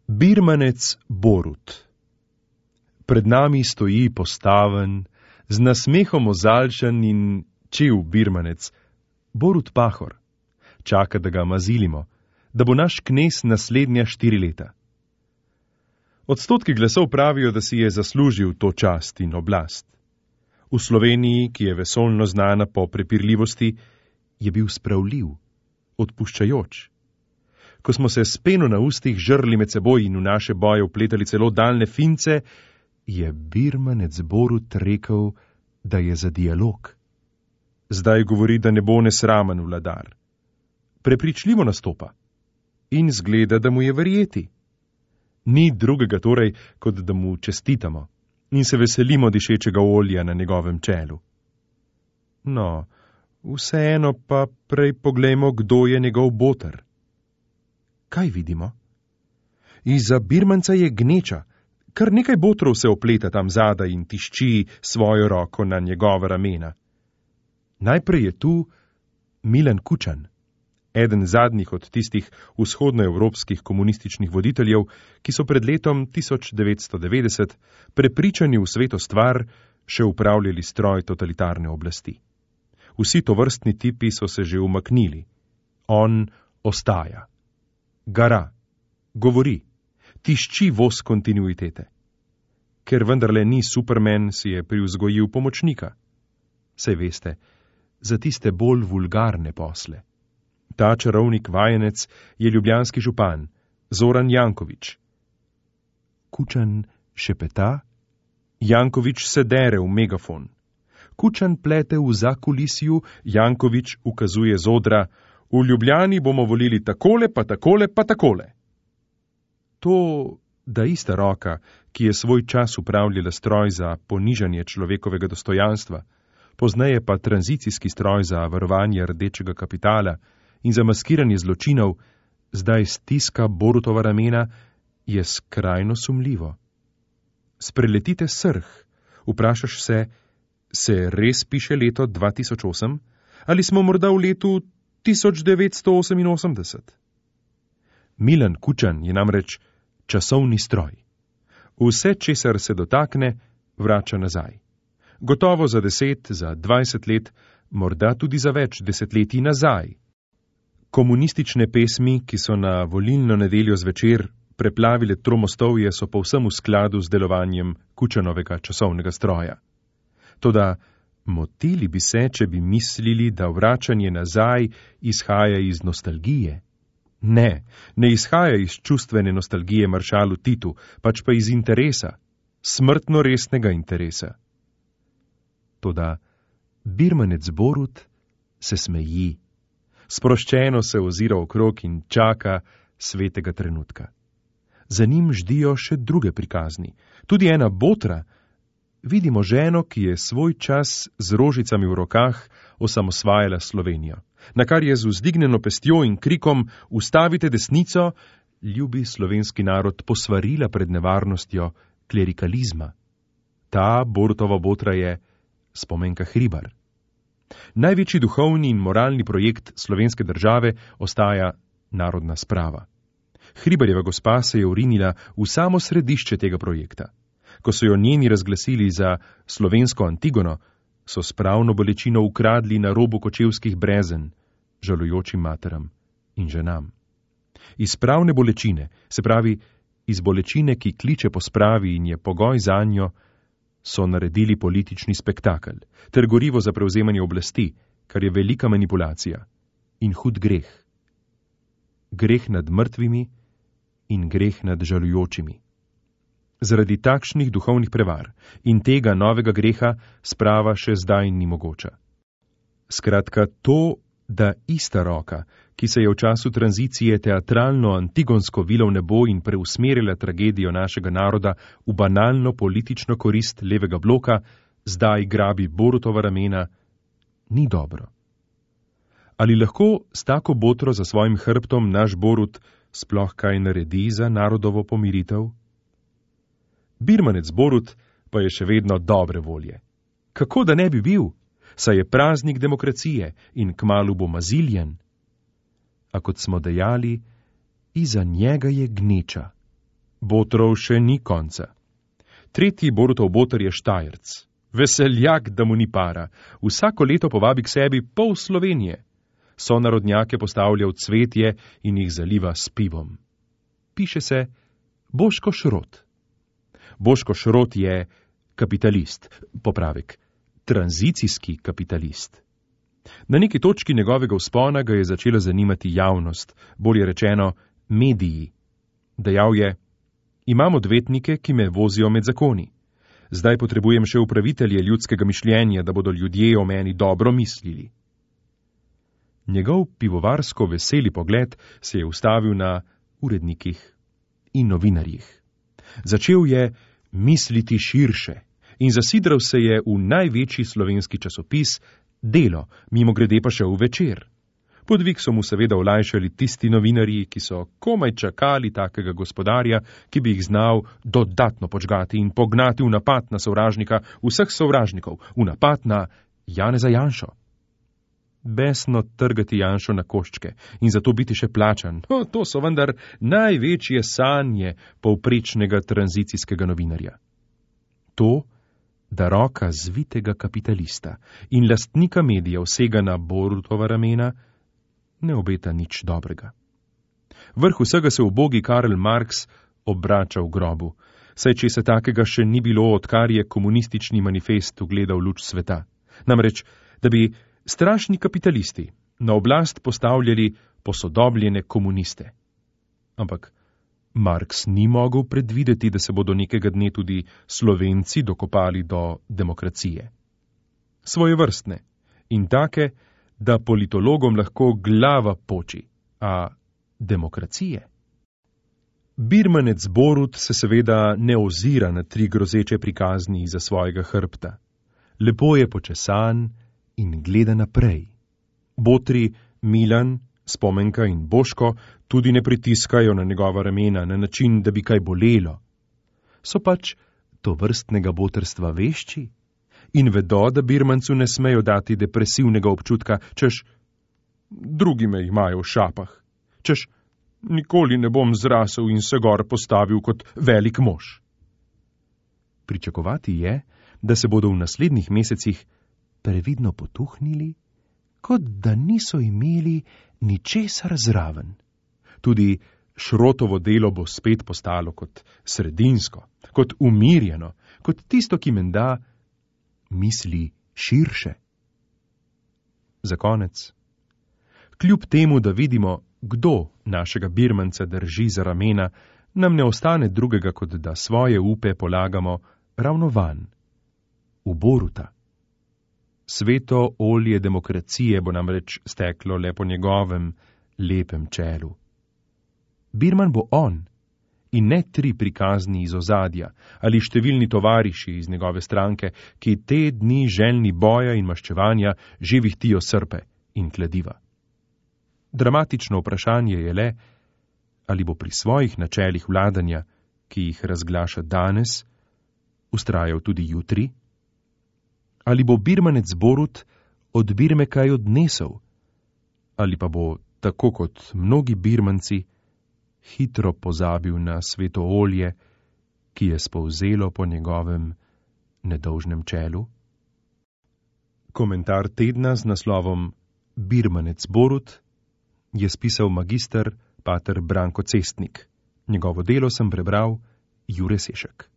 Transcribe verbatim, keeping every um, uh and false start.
Birmanec Borut. Pred nami stoji postaven, z nasmehom ozaljšan in čil birmanec, Borut Pahor. Čaka, da ga mazilimo, da bo naš knez naslednja štiri leta. Odstotki glasov pravijo, da si je zaslužil to čast in oblast. V Sloveniji, ki je vesoljno znana po prepirljivosti, je bil spravljiv, odpuščajoč. Ko smo se s peno na ustih žrli med seboj in v naše boje vpletali celo daljne fince, je birmanec Borut rekel, da je za dialog. Zdaj govori, da ne bo nesramen vladar. Prepričljivo nastopa in zgleda, da mu je verjeti. Ni drugega torej, kot da mu čestitamo in se veselimo dišečega olja na njegovem čelu. No, vseeno pa prej poglejmo, kdo je njegov boter. Kaj vidimo? Iza birmanca je gneča, kar nekaj botrov se opleta tam zadaj in tišči svojo roko na njegova ramena. Najprej je tu Milan Kučan, eden zadnjih od tistih vzhodnoevropskih komunističnih voditeljev, ki so pred letom tisoč devetsto devetdeset prepričani v sveto stvar še upravljali stroj totalitarne oblasti. Vsi tovrstni tipi so se že umaknili. On ostaja. Gara, govori, tišči voz kontinuitete. Ker vendarle ni Superman, si je privzgojil pomočnika. Sej veste, za tiste bolj vulgarne posle. Ta čarovnik vajenec je ljubljanski župan, Zoran Janković. Kučan šepeta, Janković se dere v megafon. Kučan plete v zakulisju, Janković ukazuje z odra, v Ljubljani bomo volili takole, pa takole, pa takole. To, da ista roka, ki je svoj čas upravljala stroj za ponižanje človekovega dostojanstva, pozneje pa tranzicijski stroj za varovanje rdečega kapitala in za maskiranje zločinov, zdaj stiska Borutova ramena, je skrajno sumljivo. Spreletite srh, vprašaš se, se res piše leto dva tisoč osem, ali smo morda v letu tisoč devetsto oseminosemdeset. Milan Kučan je namreč časovni stroj. Vse, česar se dotakne, vrača nazaj. Gotovo za deset, za dvajset let, morda tudi za več desetletij nazaj. Komunistične pesmi, ki so na volilno nedeljo zvečer preplavile Tromostovje, so povsem v skladu z delovanjem Kučanovega časovnega stroja. Toda motili bi se, če bi mislili, da vračanje nazaj izhaja iz nostalgije. Ne, ne izhaja iz čustvene nostalgije maršalu Titu, pač pa iz interesa, smrtno resnega interesa. Toda birmanec Borut se smeji. Sproščeno se ozira okrog in čaka svetega trenutka. Za njim ždijo še druge prikazni. Tudi ena botra. Vidimo ženo, ki je svoj čas z rožicami v rokah osamosvajala Slovenijo, na kar je z vzdignjeno pestjo in krikom "Ustavite desnico!" ljubi slovenski narod posvarila pred nevarnostjo klerikalizma. Ta Borutova botra je Spomenka Hribar. Največji duhovni in moralni projekt slovenske države ostaja narodna sprava. Hribarjeva gospa se je urinila v samo središče tega projekta. Ko so jo njeni razglasili za slovensko Antigono, so spravno bolečino ukradli na robu kočevskih brezen, žalujočim materam in ženam. Iz spravne bolečine, se pravi iz bolečine, ki kliče po spravi in je pogoj zanjo, so naredili politični spektakel, ter gorivo za prevzemanje oblasti, kar je velika manipulacija in hud greh. Greh nad mrtvimi in greh nad žalujočimi. Zaradi takšnih duhovnih prevar in tega novega greha sprava še zdaj ni mogoča. Skratka, to, da ista roka, ki se je v času tranzicije teatralno antigonsko vila v nebo in preusmerila tragedijo našega naroda v banalno politično korist levega bloka, zdaj grabi Borutova ramena, ni dobro. Ali lahko s tako botro za svojim hrbtom naš Borut sploh kaj naredi za narodovo pomiritev? Birmanec Borut pa je še vedno dobre volje. Kako da ne bi bil? Saj je praznik demokracije in kmalu bo maziljen. A kot smo dejali, iza njega je gneča. Botrov še ni konca. Tretji Borutov boter je Štajerc. Veseljak, da mu ni para. Vsako leto povabi k sebi pol Slovenije. Sonarodnjake postavlja v cvetje in jih zaliva s pivom. Piše se Boško Šrot. Boško Šrot je kapitalist, popravek, tranzicijski kapitalist. Na neki točki njegovega vzpona ga je začela zanimati javnost, bolje rečeno mediji. Dejal je: imam odvetnike, ki me vozijo med zakoni. Zdaj potrebujem še upravitelje ljudskega mišljenja, da bodo ljudje o meni dobro mislili. Njegov pivovarsko veseli pogled se je ustavil na urednikih in novinarjih. Začel je misliti širše in zasidral se je v največji slovenski časopis Delo, mimogrede pa še v Večer. Podvig so mu seveda olajšali tisti novinarji, ki so komaj čakali takega gospodarja, ki bi jih znal dodatno počgati in pognati v napad na sovražnika vseh sovražnikov, v napad na Janeza Janšo. Besno trgati Janšo na koščke in zato biti še plačan. O, to so vendar največje sanje povprečnega tranzicijskega novinarja. To, da roka zvitega kapitalista in lastnika medijev sega na Borutova ramena, ne obeta nič dobrega. Vrh vsega se ubogi Karl Marx obrača v grobu, saj če se takega še ni bilo, odkar je komunistični manifest ugledal luč sveta. Namreč, da bi strašni kapitalisti na oblast postavljali posodobljene komuniste. Ampak Marx ni mogel predvideti, da se bodo nekega dne tudi Slovenci dokopali do demokracije. Svojevrstne in take, da politologom lahko glava poči, a demokracije. Birmanec Borut se seveda ne ozira na tri grozeče prikazni iza svojega hrbta. Lepo je počesan in gleda naprej. Botri Milan, Spomenka in Boško tudi ne pritiskajo na njegova ramena na način, da bi kaj bolelo. So pač to vrstnega botrstva vešči in vedo, da birmancu ne smejo dati depresivnega občutka, češ drugi me imajo v šapah, češ nikoli ne bom zrasel in se gor postavil kot velik mož. Pričakovati je, da se bodo v naslednjih mesecih previdno potuhnili, kot da niso imeli ničesar zraven. Tudi Šrotovo delo bo spet postalo kot sredinsko, kot umirjeno, kot tisto, ki menda misli širše. Za konec. Kljub temu, da vidimo, kdo našega birmanca drži za ramena, nam ne ostane drugega, kot da svoje upe polagamo ravno van, v Boruta. Sveto olje demokracije bo namreč steklo le po njegovem lepem čelu. Birman bo on, in ne tri prikazni iz ozadja ali številni tovariši iz njegove stranke, ki te dni željni boja in maščevanja že vihtijo srpe in kladiva. Dramatično vprašanje je le, ali bo pri svojih načelih vladanja, ki jih razglaša danes, vztrajal tudi jutri? Ali bo birmanec Borut od Birme kaj odnesel? Ali pa bo, tako kot mnogi birmanci, hitro pozabil na sveto olje, ki je spolzelo po njegovem nedolžnem čelu? Komentar tedna z naslovom Birmanec Borut je spisal magister pater Branko Cestnik. Njegovo delo sem prebral Jure Sešek.